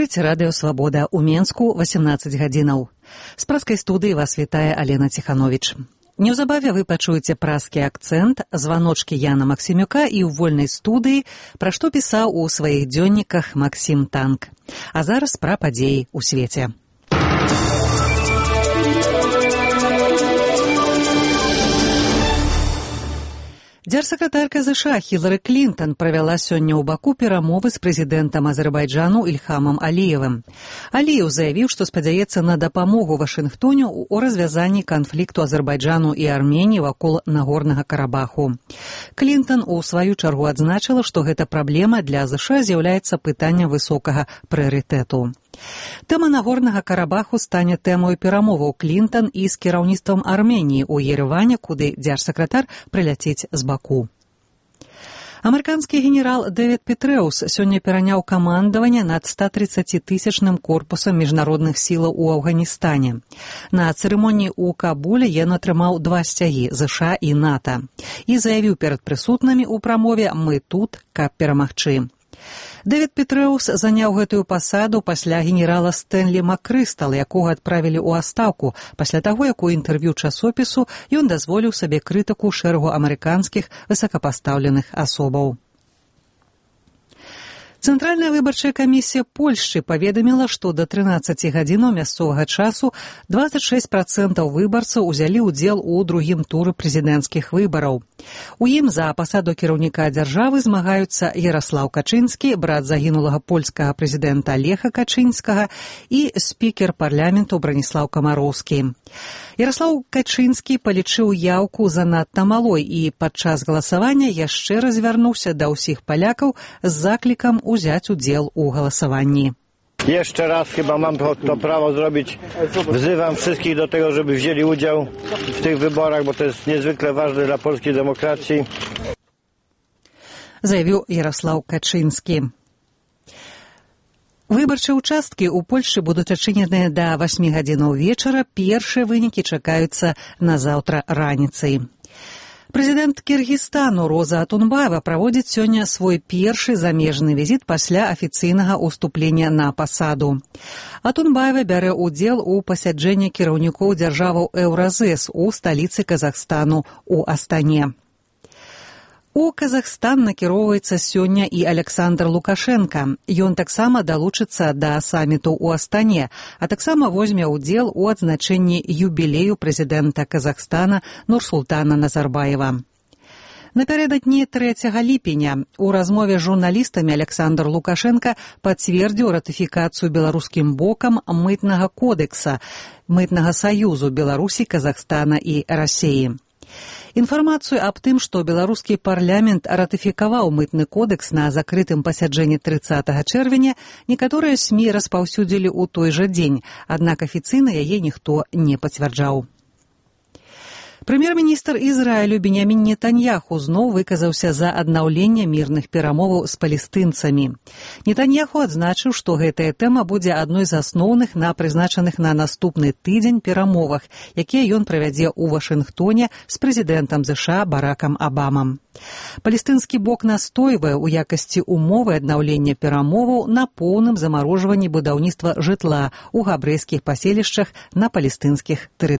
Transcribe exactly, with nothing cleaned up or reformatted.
Слухаеце радыё «Свабода» ў Менску васемнаццаць гадзінаў. З праскай студыі вас вітае Алена Ціхановіч. Неўзабаве вы пачуеце праскі акцэнт, званочкі Яна Максімюка і ў вольнай студыі, пра што пісаў у сваіх дзённіках Максім Танк. А зараз пра падзеі ў свеце. Дзяржсакратарка ЗША Хілары Клінтан правяла сёння ў Баку перамовы з прэзідэнтам Азербайджану Ільхамам Аліевым. Аліеў заявіў, што спадзяецца на дапамогу Вашынгтону ў развязанні канфлікту Азербайджану і Арменіі вакол Нагорнага Карабаху. Клінтан у сваю чаргу адзначыла, што гэта праблема для ЗША з'яўляецца пытаннем высокага прыярытэту. Тэма Нагорнага Карабаху стане тэмою перамоваў Клінтан і з кіраўніцтвам Арменіі ў Ереване, куды дзяржсакратар прыляціць з Баку. Амерыканскі генерал Дэвід Петрэус сёння пераняў камандаванне над ста трыццацітысячным корпусам міжнародных сілаў у Афганістане. На цырымоніі ў Кабуле ён атрымаў два сцягі ЗША і НАТО і заявіў перад прысутнымі ў прамове «Мы тут, каб перамагчы». Дэвід Петрэус заняў гэтую пасаду пасля генерала Стэнлі Макрыстала, якога адправілі ў адстаўку пасля таго, як у інтэрв'ю часопісу ён дазволіў сабе крытыку шэрагу амерыканскіх высокапастаўленых асобаў. Цэнтральная выбарчая камісія Польшчы паведаміла, што да трынаццаці гадзінаў мясцовага часу дваццаць шэсць працэнтаў выбарцаў узялі ўдзел у другім туры прэзідэнцкіх выбараў. У ім за пасаду кіраўніка дзяржавы змагаюцца Яраслаў Качынскі, брат загінулага польскага прэзідэнта Леха Качынскага, і спікер парламенту Браніслаў Камароўскі. Яраслаў Качынскі палічыў яўку занадта малой і падчас галасавання яшчэ раз звярнуўся да ўсіх палякаў з заклікам узяць удзел у галасаванні. Jeszcze raz chyba mam to, to prawo zrobić. Wzywam wszystkich do tego, żeby wzięli udział w tych wyborach, bo to jest niezwykle ważne dla polskiej demokracji. Заявіў Яраслаў Качынскі. Выбарчыя ўчасткі ў Польшчы будуць адчыненыя да васьмі гадзінаў вечара. Першыя вынікі чакаюцца на заўтра раніцай. Прэзідэнт Кіргізстану Роза Атунбаева праводзіць сёння свой першы замежны візіт пасля афіцыйнага ўступлення на пасаду. Атунбаева бярэ ўдзел у пасяджэнні кіраўнікоў дзяржаваў Еўразэс у сталіцы Казахстану у Астане. У Казахстан накіроўваецца сёння і Александр Лукашенка. Ён таксама далучыцца да саміту ў Астане, а таксама возьме ўдзел у адзначэнні юбілею прэзідэнта Казахстана Нурсултана Назарбаева. Напярэдадні трэцяга ліпеня у размове з журналістамі Александр Лукашенка пацвердзіў ратыфікацыю беларускім бокам мытнага кодекса, мытнага саюзу Беларусі, Казахстана і Расіі. Інфармацыю аб тым, што беларускі парламент ратыфікаваў мытны кодекс на закрытым пасяджэнні трыццатага чэрвеня, некаторыя СМІ распаўсюдзілі ў той жа дзень, аднак афіцыйна яе ніхто не пацвярджаў. Прэм'ер-міністр Ізраілю Беньямін Нетаньяху зноў выказаўся за аднаўленне мірных перамоваў з палестынцамі. Нетаньяху адзначыў, што гэтая тэма будзе адной з асноўных на прызначаных на наступны тыдзень перамовах, якія ён правядзе ў Вашынгтоне з прэзідэнтам ЗША Баракам Абамам. Палестынскі бок настойвае ў якасці умовы аднаўлення перамоваў на поўным замарожванні будаўніцтва жытла ў габрэйскіх паселішчах на палестынскіх тэрыторыях.